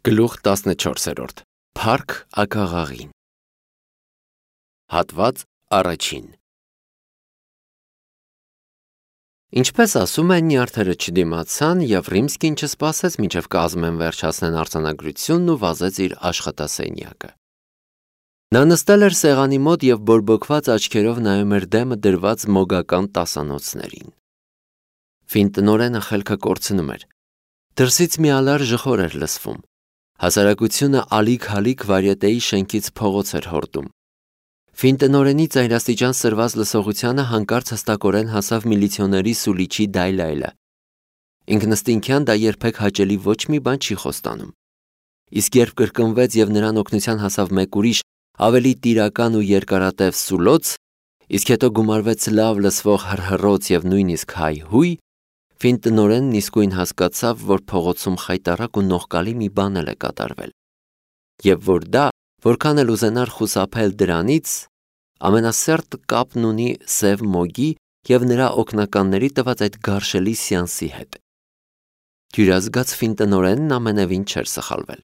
Գլուխ 14. Փառք ակաղաղին։ Հատված առաջին։ Ինչպես ասում են, նյարդերը չդիմացան և Ռիմսկին չսպասեց մինչև կազմեն վերջացնեն արձանագրությունն ու վազեց իր աշխատասենյակը։ Նա նստել էր սեղանի մոտ և բորբոքված աչքերով նայում էր դեմը դրված մոգական տասանոցներին։ Ֆին տնօրենը խելքը կորցնում էր։ Դրսից մի ալար ժխոր էր լսվում։ Հասարակությունը ալիք-հալիք վարյետեի շենքից փողոց էր հորդում։ Ֆին տնօրենի ծայրաստիճան սրված լսողությանը հանկարծ հստակորեն հասավ միլիցիոների սուլիչի դայլայլը։ Ինքնըստինքյան դա երբեք հաճելի ոչ մի բան չի խոստանում։ Իսկ երբ կրկնվեց և նրան օգնության հասավ մեկ ուրիշ, ավելի տիրական ու երկարատև սուլոց, իսկ հետո գումարվեց լավ լսվող հռհռոց և նույնիսկ հայհույ, Ֆին տնօրենն իսկույն հասկացավ, որ փողոցում խայտառակ ու նողկալի մի բան է կատարվել, և որ դա, որքան էլ ուզենար խուսափել դրանից, ամենասերտ կապն ունի Սև Մոգի և նրա օգնականների տված այդ գարշելի սեանսի հետ։ Հյուրազգաց Ֆին տնօրենն ամենևին չէր սխալվել։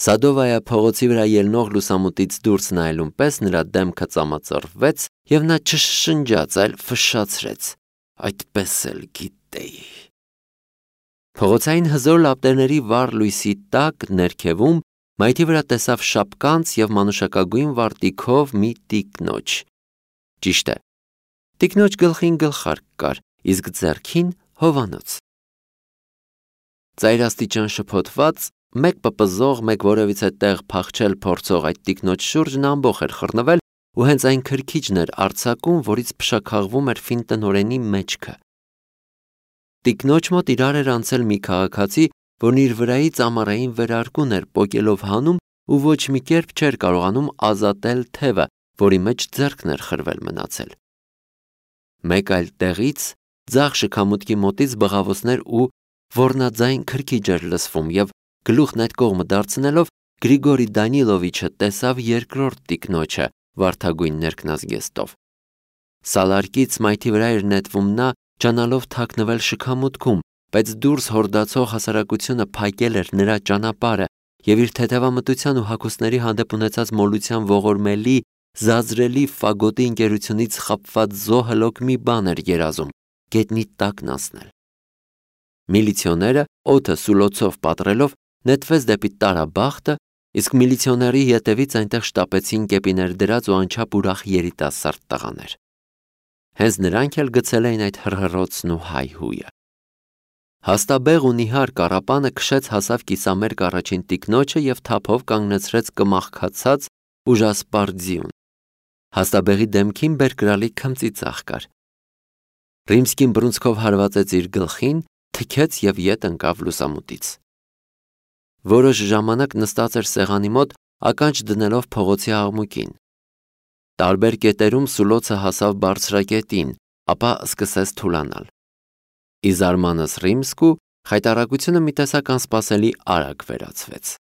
Սադովայա փողոցի վրա ելնող լուսամուտից դուրս նայելուն պես նրա դեմքը ծամածռվեց և նա չշշնջաց, այլ ֆշշացրեց. այդպես էլ գիտեի։ Փողոցային հզոր լապտերների վառ լույսի տակ ներքևում մայթի վրա տեսավ շապկանց և մանուշակագույն վարտիքով մի տիկնոջ։ Ճիշտ է, տիկնոջ գլխին գլխարկ կար, իսկ ձեռքին հովանոց։ Ծայրաստիճան շփոթված, մեկ պպզող, մեկ որևիցե տեղ փախչել փորձող այդ տիկնոջ շուրջն ամբոխ էր խռնվել ու հենց այն քրքիջն էր արձակում, որից փշաքաղվում էր Ֆին տնօրենի մեջքը։ Տիկնոջ մոտ իրար էր անցել մի քաղաքացի, որն իր վրայից ամառային վերարկուն էր պոկելով հանում ու ոչ մի կերպ չէր կարողանում ազատել թևը, որի մեջ ձեռքն էր խրվել մնացել։ Մեկ այլ տեղից, ձախ շքամուտքի մոտից բղավոցներ ու ոռնաձայն քրքիջ էր լսվում և գլուխն այդ կողմը դարձնելով Գրիգորի Դանիլովիչը տեսավ երկրորդ տիկնոջը վարդագույն ներքնազգեստով։ Սալարկից մայթի վրա էր նետվում նա, ջանալով թաքնվել շքամուտքում, բայց դուրս հորդացող հասարակությունը փակել էր նրա ճանապարհը և իր թեթևամտության ու հագուստների հանդեպ ունեցած մոլության ողորմելի, զազրելի ֆագոտի ընկերությունից խաբված զոհըլոք մի բան էր երազում՝ գետնի տակն անցնել։ Միլիցիոները, օդը սուլոցով պատռելով, նետվեց դեպի Տարաբախտը, իսկ միլիցիոների ետևից այնտեղ շտապեցին կեպիներ դրած ու անչափ ուրախ երիտասարդ տղաներ։ Հենց նրանք էլ գցել էին այդ հռհռոցն ու հայհույը։ Հաստաբեղ ու նիհար կառապանը քշեց հասավ կիսամերկ առաջին տիկնոջը և թափով կանգնեցրեց կմախքացած ուժասպառ ձիուն։ Հաստաբեղի դեմքին բերկրալի քմծիծաղ կար։ Ռիմսկին բռունցքով հարվածեց իր գլխին, թքեց և ետ ընկավ լուսամուտից։ Որոշ ժամանակ նստած էր սեղանի մոտ, ականջ դնելով փողոցի աղմուկին։ Տարբեր կետերում սուլոցը հասավ բարձրակետին, ապա սկսեց թուլանալ։ Ի զարմանս Ռիմսկու խայտառակությունը մի տեսակ անսպասելի արագ վերացվեց։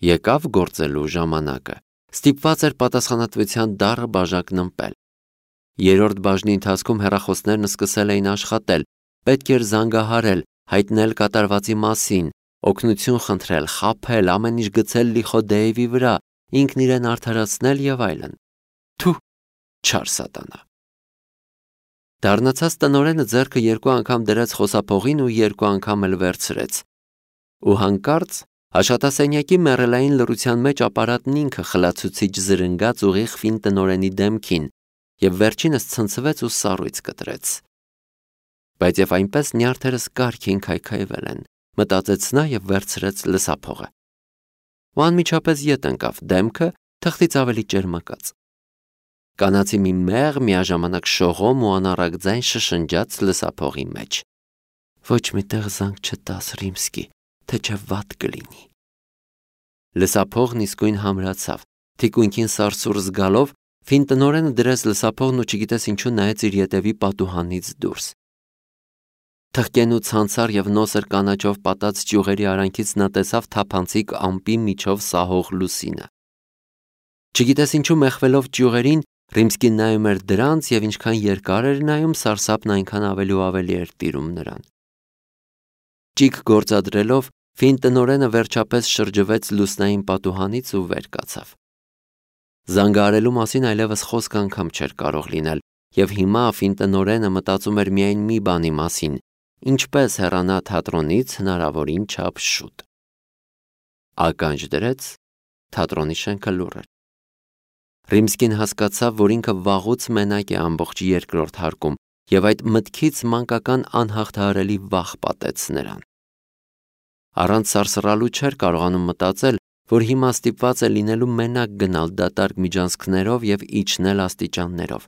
Եկավ գործելու ժամանակը, ստիպված էր պատասխանատվության դառը բաժակն ըմպել։ Երրորդ բաժնի ընթացքում հեռախոսներն սկսել էին աշխատել, պետք էր զանգահարել, հայտնել կատարվածի մասին, օգնություն խնդրել, խաբել, ամեն ինչ գցել Լիխոդեևի վրա, ինքն իրեն արդարացնել և այլն։ Թու, չար սատանա։ Դառնացած տնօրենը ձեռքը երկու անգամ դրեց խոսափողին ու երկու անգամ էլ վերցրեց։ Ու հանկարծ աշխատասենյակի մեռելային լռության մեջ ապարատն ինքը խլացուցիչ զրնգաց ուղիղ Ֆին տնօրենի դեմքին և վերջինս ցնցվեց ու սառույց կտրեց։ Բայց և այնպես նյարդերս կարգին քայքայվել են, մտածեց նա և վերցրեց լսափողը։ Ու անմիջապես ետ ընկավ դեմքը թղթից ավելի ճերմակած։ Կանացի մի մեղ, միաժամանակ շողոմ ու անառակ ձայն շշնջաց լսափողի մեջ. Ոչ մի տեղ զանգ չտաս, Ռիմսկի, թե չէ վատ կլինի։ Լսափողն իսկույն համրացավ, թիկունքին սարսուռ զգալով, Ֆին տնօրենը դրեց լսափողն ու չգիտես ինչու նայեց իր ետևի պատուհանից դուրս։ Թխկեն ու ցանցար և նոսր կանաչով պատած ճյուղերի արանքից նա տեսավ թափանցիկ ամպի միջով սահող լուսինը։ Չգիտես ինչու մեխվելով ճյուղերին, Ռիմսկին նայում էր դրանց և ինչքան երկար էր նայում, սարսափն այնքան ավելի ու ավելի էր տիրում նրան։ Ճիգ գործադրելով Ֆին տնօրենը վերջապես շրջվեց լուսնային պատուհանից ու վեր կացավ։ Զանգահարելու մասին այլևս խոսք անգամ չէր կարող լինել, եւ հիմա Ֆին տնօրենը մտածում էր միայն մի բանի մասին՝ ինչպես հեռանա թատրոնից հնարավորին չափ շուտ։ Ականջ դրեց, թատրոնի շենքը լուռ էր։ Ռիմսկին հասկացավ, որ ինքը վաղուց մենակ է ամբողջ երկրորդ հարկում, եւ այդ մտքից մանկական անհաղթահարելի վախ պատեց նրան։ Առանց սարսռալու չէր կարողանում մտածել, որ հիմա ստիպված է լինելու մենակ գնալ դատարկ միջանցքներով եւ իջնել աստիճաններով։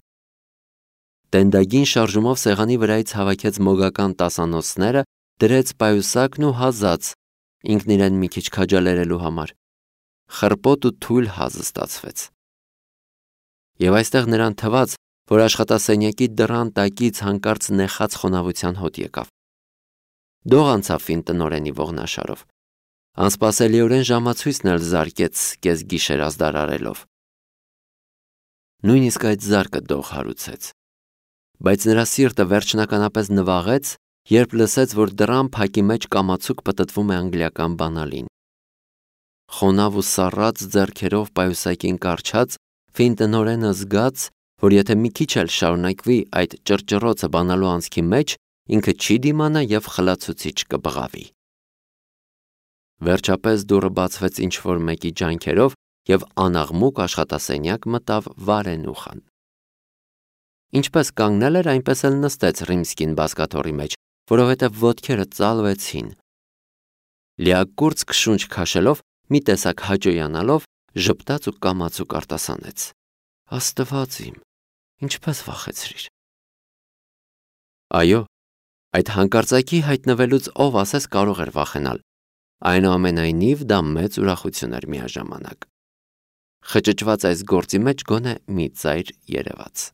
Տենդագին շարժումով սեղանի վրայից հավաքեց մոգական տասանոցները, դրեց պայուսակն ու հազաց, ինքն իրեն մի քիչ քաջալերելու համար։ Խրպոտ ու թույլ հազ ստացվեց։ Եվ այստեղ նրան թվաց, որ աշխատասենյակի դռան տակից հանկարծ նեխած խոնավության հոտ եկավ։ Դող անցավ Ֆին տնօրենի ողնաշարով։ Անսպասելիորեն ժամացույցն էլ զարկեց կես գիշեր ազդարարելով։ Նույնիսկ այդ զարկը դող հարուցեց։ Բայց նրա սիրտը վերջնականապես նվաղեց, երբ լսեց, որ դռան փակի մեջ կամացուկ պտտվում է անգլիական բանալին։ Խոնավ ու սառած ձեռքերով պայուսակին կառչած, Ֆին տնօրենը զգաց, որ եթե մի քիչ էլ շարունակվի այդ ճռճռոցը բանալու անցքի մեջ, ինքը չի դիմանա եւ խլացուցիչ կբղավի։ Վերջապես դուռը բացվեց ինչ-որ մեկի ջանքերով եւ անաղմուկ աշխատասենյակ մտավ Վարենուխան։ Ինչպես կանգնել էր, այնպես էլ նստեց Ռիմսկին բազկաթոռի մեջ, որովհետեւ ոտքերը ծալվեցին։ Լիակուրծ քշունչ քաշելով, մի տեսակ հաճոյանալով, ժպտաց ու կամացուկ արտասանեց. Աստված իմ, ինչպես վախեցրիր։ Այո, այդ հանկարծակի հայտնվելուց ով ասես կարող էր վախենալ։ Այնուամենայնիվ դա մեծ ուրախություն էր միաժամանակ։ Խճճված այս գործի մեջ գոնե մի ծայր երևաց։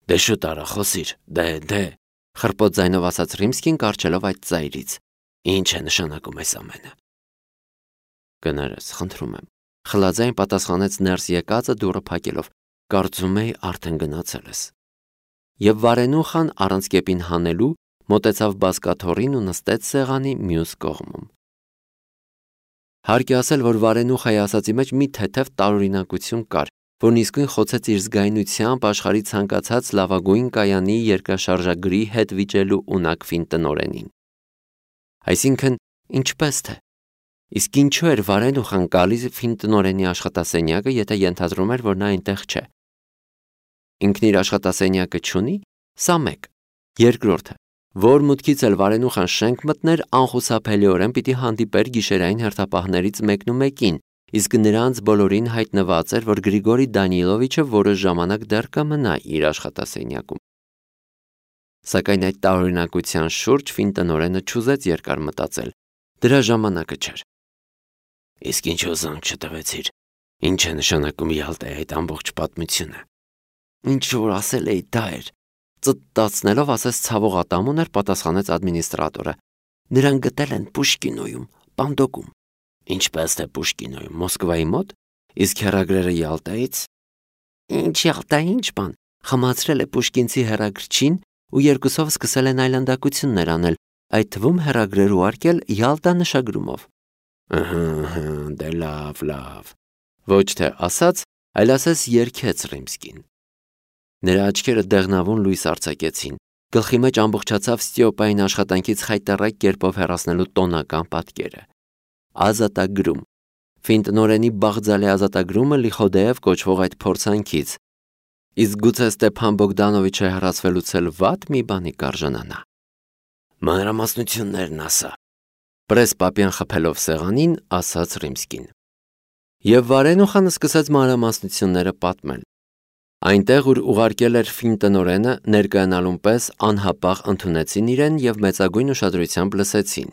Դե շուտ արա խոսիր, դե, խրպոտ ձայնով ասաց Ռիմսկին կարճելով այդ ծայրից։ Ինչ է նշանակում այս ամենը։ Կներես, խնդրում եմ, խլաձայն պատասխանեց ներս եկածը դուռը փակելով, կարծում էի արդեն գնացել ես։ Եվ Վարենուխան առանց կեպին հանելու մոտեցավ բազկաթոռին ու նստեց սեղանի մյուս կողմում։ Հարկ է ասել, որ Վարենուխայի ասածի մեջ մի թեթև տարօրինակություն կար, որն իսկույն խոցեց իր զգայունությամբ աշխարհի ցանկացած լավագույն կայանի երկրաշարժագրի հետ վիճելու ունակ Ֆին տնօրենին։ Այսինքն, ինչպես թե։ Իսկ ինչու էր Վարենուխան գալիս Ֆին տնօրենի աշխատասենյակը, եթե ենթադրում էր, որ նա այնտեղ չէ։ Ինքն իր աշխատասենյակը չունի, սա մեկ։ Երկրորդը, որ մուտքից էլ Վարենուխան շենք մտներ, անխուսափելիորեն պիտի հանդիպեր գիշերային հերթապահներից մեկն ու մեկին, իսկ նրանց բոլորին հայտնված էր, որ Գրիգորի Դանիլովիչը որոշ ժամանակ դեռ կմնա իր աշխատասենյակում։ Սակայն այդ տարօրինակության շուրջ Ֆին տնօրենը չուզեց երկար մտածել։ Դրա ժամանակը չէր։ Իսկ ինչու զանգ չտվեցիր։ Ինչ է նշանակում Յալտայի այդ ամբողջ պատմությունը։ Ինչ որ ասել էի, դա էր։ Ծտտացնելով ասես ցավող ատամուն էր, պատասխանեց ադմինիստրատորը։ Նրան գտել են Պուշկինոյում, Պանդոկում։ Ինչպես թե Պուշկինոյում, Մոսկվայի մոտ, իսկ հեռագրերը Յալտայից։ Ինչ Յալտա, ինչ բան։ Խմացրել է Պուշկինցի հեռագրչին ու երկուսով սկսել են այլանդակություններ անել, այդ թվում հեռագրեր ուղարկել Յալտա նշագրումով։ Դե լավ։ Ոչ թե ասաց, այլ ասես երգեց Ռիմսկին։ Նրա աչքերը դեղնավուն լույս արձակեցին, գլխի մեջ ամբողջացավ Ստիոպային աշխատանքից խայտառակ կերպով հեռացնելու տոնական պատկերը։ Ազատագրում։ Ֆին տնօրենի բաղձալի ազատագրումը Լիխոդեև կոչվող այդ փորձանքից։ Իսկ գուցե Ստեփան Բոգդանովիչը հեռացվելուց էլ վատ մի բանի կարժանանա։ Մանրամասնություններն ասա։ Պրեսպապյան խփելով սեղանին, ասաց Ռիմսկին։ Եվ Վարենուխանը սկսեց մանրամասնությունները պատմել։ Այնտեղ, ուր ուղարկել էր Ֆին տնօրենը, ներկայանալուն պես անհապաղ ընդունեցին իրեն եւ մեծագույն ուշադրությամբ լսեցին։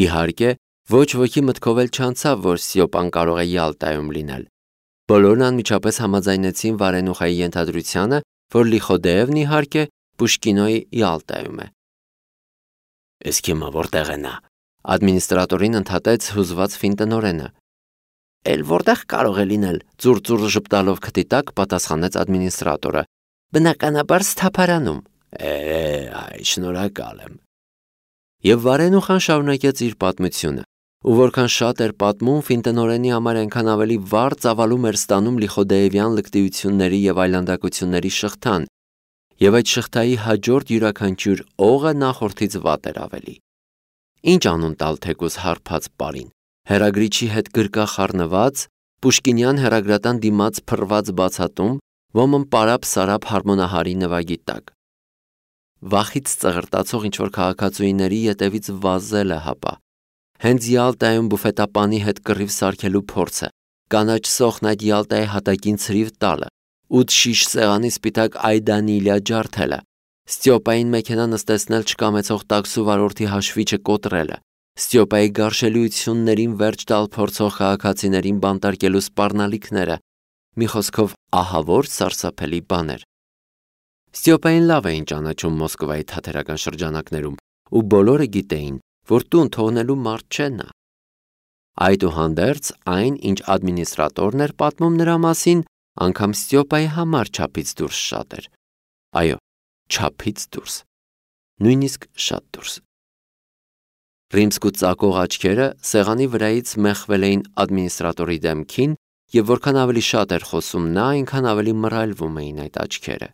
Իհարկե, ոչ ոքի մտքով էլ չանցավ, որ Ստիոպան կարող է Յալտայում լինել։ Բոլորն անմիջապես համաձայնեցին Վարենուխայի ենթադրությանը, որ Լիխոդեևն իհարկե Պուշկինոյի Յալտայում է։ Իսկ հիմա որտեղ է նա։ Ադմինիստրատորին ընդհատեց հուզված Ֆին տնօրենը։ Էլ որտեղ կարող է լինել, ծուռ ժպտալով քթի տակ պատասխանեց ադմինիստրատորը։ Բնականաբար Սթափարանում։ Այ, շնորհակալ եմ։ Եվ Վարենուխան շարունակեց իր պատմությունը, ու որքան շատ էր պատմում, Ֆինտնորենի համար այնքան ավելի վառ ծավալում էր ստանում Լիխոդեևյան լկտիությունների եւ այլանդակությունների շղթան, եւ այդ շղթայի հաջորդ յուրաքանչյուր օղը նախորդից վատ էր ավելի։ Ինչ անուն տալ թեկուզ հարբած պարին, հերագրիչի հետ գրկախառնված, Պուշկինյան հերագրատան դիմաց փռված բացատում, ոմն պարապ-սարապ հարմոնահարի նվագի տակ։ Վախից ծղրտացող ինչ-որ քաղաքացուիների ետևից վազելը հապա։ Հենց Յալտայում բուֆետապանի հետ կռիվ սարքելու փորձը, կանաչ սոխն այդ Յալտայի հատակին ցրիվ տալը, 8 շիշ սեղանի սպիտակ այդանիլիա ջարդելը, Ստյոպային մեքենա նստեցնել չկամեցող տաքսու վարորդի հաշվիչը կոտրելը, Ստյոպայի գարշելիություններին վերջ տալ փորձող քաղաքացիներին բանտարկելու սպառնալիքները, մի խոսքով ահավոր սարսափելի բաներ։ Ստյոպային լավ էին ճանաչում Մոսկվայի թատերական շրջանակներում, ու բոլորը գիտեին, որ տուն թողնելու մարդ չէ նա։ Այդուհանդերձ այն, ինչ ադմինիստրատորն էր պատմում նրա մասին, անգամ Ստյոպայի համար չափից դուրս շատ էր։ Այո, չափից դուրս, նույնիսկ շատ դուրս։ Ռիմսկու ծակող աչքերը սեղանի վրայից մեխվել էին ադմինիստրատորի դեմքին, եւ որքան ավելի շատ էր խոսում նա, այնքան ավելի մռայլվում էին այդ աչքերը։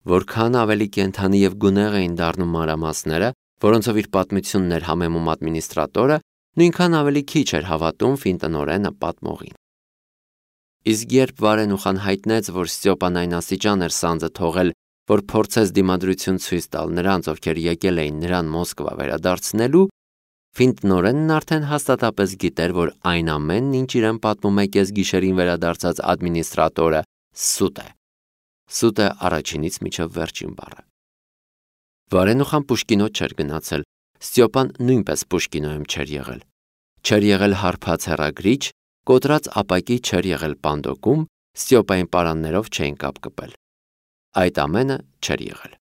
Որքան ավելի կենդանի եւ գունեղ էին դառնում մանրամասները, որոնցով իր պատմությունն էր համեմում ադմինիստրատորը, նույնքան ավելի քիչ էր հավատում Ֆինտնորենը պատմողին։ Իսկ երբ Վարենուխան հայտնեց, որ Ստյոպան այն աստիճան էր սանձը թողել, որ փորձեց դիմադրություն ցույց տալ նրանց, ովքեր եկել էին նրան Մոսկվա վերադարձնելու, Ֆինտնորենն արդեն հաստատապես գիտեր, որ այն ամենն, ինչ իրեն պատմում է կեսգիշերին վերադարձած ադմինիստրատորը, սուտ է։ Սուտ է առաջինից մինչև վերջին բառը։ Վարենուխան Պուշկինո չէր գնացել, Ստյոպան նույնպես Պուշկինոյում չէր եղել։ Չէր եղել հարբած հեռագրիչ, կոտրած ապակի չէր եղել պանդոկում, Ստյոպային պարաններով չէին կապ կպել։ Այդ ամենը չէր եղել։